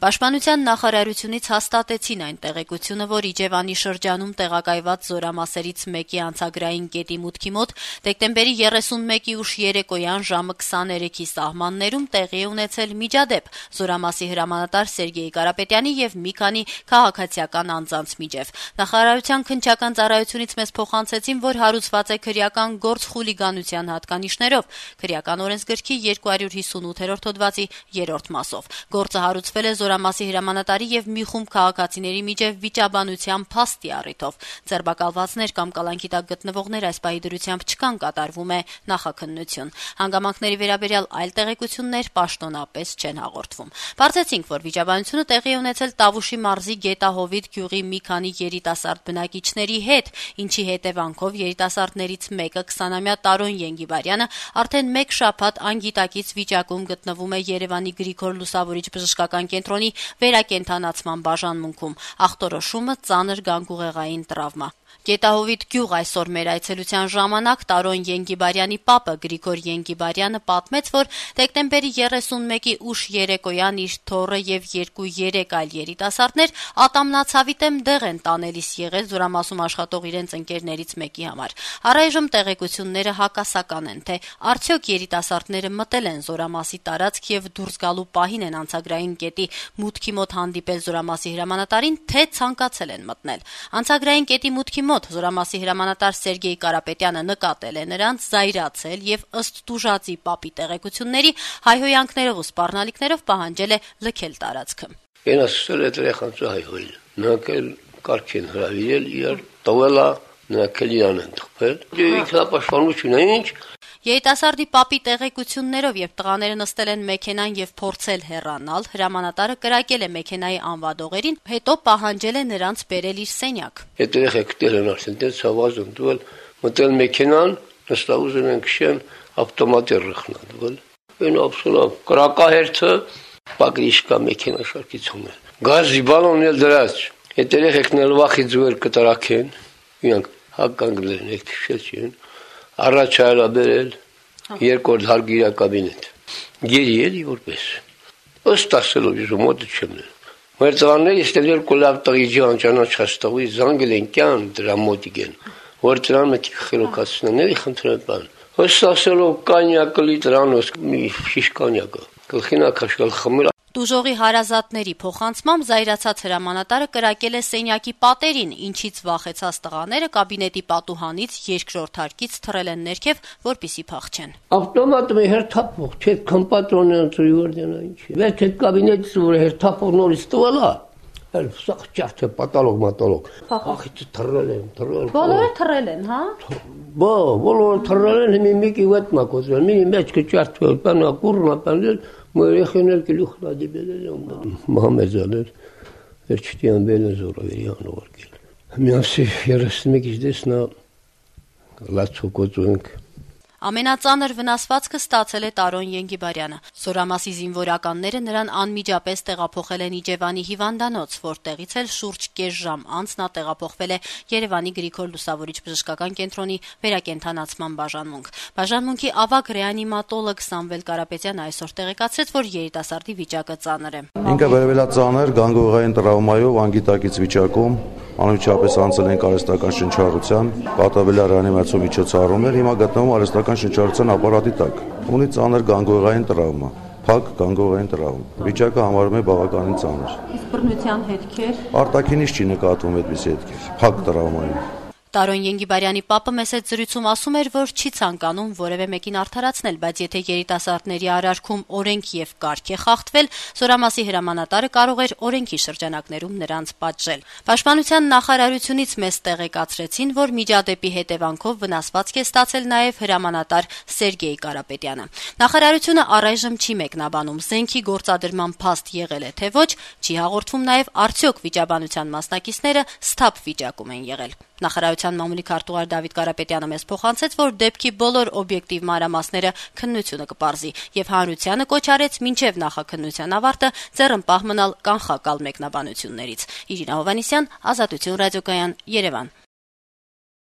Պաշտպանության նախարարությունից հաստատեցին այն տեղեկությունը, որ Իջևանի շրջանում տեղակայված զորամասերից մեկի անցագրային կետի մուտքի մոտ դեկտեմբերի 31-ի ուշ երեկոյան ժամը 23-ի սահմաններում տեղի է ունեցել միջադեպ զորամասի հրամանատար Սերգեյ Կարապետյանի եւ մի քանի քաղաքացիական անձանց միջեւ։ Նախարարության քննչական ծառայությունից մեզ փոխանցեցին, որ հարուցված է քրեական գործ խուլիգանության հատկանիշներով քրեական օրենսգրքի 258-րդ հոդվածի 3-րդ մասով։ Գործը հարուցվել է զորամասի հրամանատարի եւ մի խումբ քաղաքացիների միջև վիճաբանության փաստի առիթով։ Ձերբակալվածներ կամ կալանքի տակ գտնվողներ այս պահի դրությամբ չկան, կատարվում է նախաքննություն։ Հանգամանքների վերաբերյալ այլ տեղեկություններ պաշտոնապես չեն հաղորդվում։ Բարձեցինք, որ վիճաբանությունը տեղի է ունեցել Տավուշի մարզի Գետահովիտ գյուղի մի քանի երիտասարդ բնակիչների հետ, ինչի հետևանքով երիտասարդներից մեկը 20-ամյա Տարոն Ենգիբարյանը արդեն 1 շաբաթ անգիտակից վիճակում գտնվում է Երևանի Գրիգոր Լուսավորիչ բժշկական կենտրոնի վերակենդանացման բաժանմունքում, ախտորոշումը ծանր գանգուղեղային տրավմա։ Գետահովիտ գյուղ այսօր մեր այցելության ժամանակ Տարոն Ենգիբարյանի պապը Գրիգոր Ենգիբարյանը պատմեց, որ դեկտեմբերի 31-ի ուշ երեկոյան իր թոռը եւ 2-3 այլ երիտասարդներ ատամնացավի դեմ դեղ են տանելիս եղել զորամասում աշխատող իրենց ընկերներից մեկի համար։ Առայժմ տեղեկությունները հակասական են, թե արդյոք երիտասարդները մտել են զորամասի տարածք եւ դուրս գալու պահին են անցագրային կետի մուտքի մոտ հանդիպել զորամասի հրամանատարին, թե ցանկացել են մտնել։ Անցագրային կետի մուտքի մոտ զորամասի հրամանատար Սերգեյ Կարապետյանը նկատել է նրանց, զայրացել եւ ըստ տուժածի պապի տեղեկությունների հայհոյանքներով ու սպառնալիքներով պահանջել է լքել տարածքը։ Ենասել է երեխանց հայհոյել։ Նրանք էլ կարգ են հրավիրել, իրար տվելա, նրանք էլ իրան են թխվել։ Ինքնապաշտպանություն է ինչ։ Երիտասարդի պապի տեղեկություններով եւ տղաները նստել են մեքենան եւ փորձել հեռանալ, հրամանատարը կրակել է մեքենայի անվադողերին, հետո պահանջել է նրանց բերել իր սենյակ։ Այդ երեխեքներ են արդեն դες հավազում դուել, մտել մեքենան, նստավ ուզում են քշեն, ավտոմատը ռխնադվել։ Այն absolut կրակահերթը պագրիշկա մեքենա շարքիցում է։ Գազի բալոնն էլ դրած։ Այդ երեխեքն էլ վախի ձուեր կտրակեն, իրանք հականգնել են քշեցին։ Առաջ այլա բերել, երկրորդ հարգիրա կաբինետ։ Գերի էլի որպես։ Ըստ ասելով իզ մոտը չեմ նել։ Մեր ծանները իստել երկու լավ տղի ջան ճանաչաստողի զանգել են կյան դրա մոտիկ են, որ դրան մեկի խելոքացնեն, էլի խնդրեմ բան։ Ըստ ասելով կանյակը լիտրանոս մի շիշ կանյակը, գլխին ակաշկալ խմել։ Տուժողի հարազատների փոխանցմամբ զայրացած հրամանատարը կրակել է սենյակի պատերին, ինչից վախեցած տղաները կաբինետի պատուհանից երկրորդ հարկից թռել են ներքև, որպեսզի փախչեն։ Ավտոմատը հերթափող, չէ, կամպատրոնը ծույորդենա ինչ։ Վեր այդ կաբինետից որ հերթափող նորից տվելա, այլ սախ ճարդը պատալոգ մատալոգ։ Ախիցը թռել են։ Բոլորը թռել են, հա։ Բոլորը թռել են, մեկի վետ մակոզել, մի մեջքը ճարդվել, բանա կուրնա բանել Մորեխեներ գլուխ լադիբել են Մահամեդյաներ վերջտյան բելը զորավերի անողարկել։ Միասի 31-ից դեսնա լացոկոծունք։ Ամենածանր վնասվածքը ստացել է Տարոն Ենգիբարյանը։ Զորամասի զինվորականները նրան անմիջապես տեղափոխել են Իջևանի հիվանդանոց, որտեղից էլ շուրջ կես ժամ անց նա տեղափոխվել է Երևանի Գրիգոր Լուսավորիչ բժշկական կենտրոնի վերակենդանացման բաժանմունք։ Բաժանմունքի ավագ ռեանիմատոլոգ Սամվել Կարապետյանը այսօր տեղեկացրեց, որ երիտասարդի վիճակը ծանր է։ Ինքը վերաբերյալ ծանր գանգուղեղային տրավմայով անգիտակից վիճակում անմիջապես անցել են արհեստական շնչառության, կատարվել է ռեանիմացիոն միջոցառումներ, հիմա գտնվում արհեստական շնչառության ապարատի տակ։ Ունի ծանր գանգուղեղային տրավմա, փակ գանգուղեղային տրավմա։ Վիճակը համարվում է բավականին ծանր։ Իսկ բռնության հետքեր արտաքինից չի նկատվում այդպիսի հետքեր, փակ տրավմային։ Տարոն Ենգիբարյանի պապը մեծ այդ զրույցում ասում էր, որ չի ցանկանում որևէ մեկին արդարացնել, բայց եթե երիտասարդների արարքում օրենք եւ կարգ է խախտվել, զորամասի հրամանատարը կարող էր օրենքի շրջանակներում նրանց պատժել։ Պաշտպանության նախարարությունից մեզ տեղեկացրեցին, որ միջադեպի հետևանքով վնասվածք է ստացել նաեւ հրամանատար Սերգեյ Կարապետյանը։ Նախարարությունը առայժմ չի մեկնաբանում զենքի գործադրման փաստ եղել է թե ոչ, չի հաղորդվում նաեւ արդյոք վիճաբանության մասնակիցները սթափ վիճակում են եղել։ Նախարարության մամուլի քարտուղար Դավիթ Կարապետյանը մեզ փոխանցեց, որ դեպքի բոլոր օբյեկտիվ մանրամասները քննությունը կպարզի եւ հանրությանը կոչ արեց մինչեւ նախաքննության ավարտը ձեռնպահ մնալ կանխակալ մեկնաբանություններից։ Իրինա Հովհաննիսյան, Ազատություն ռադիոկայան, Երևան։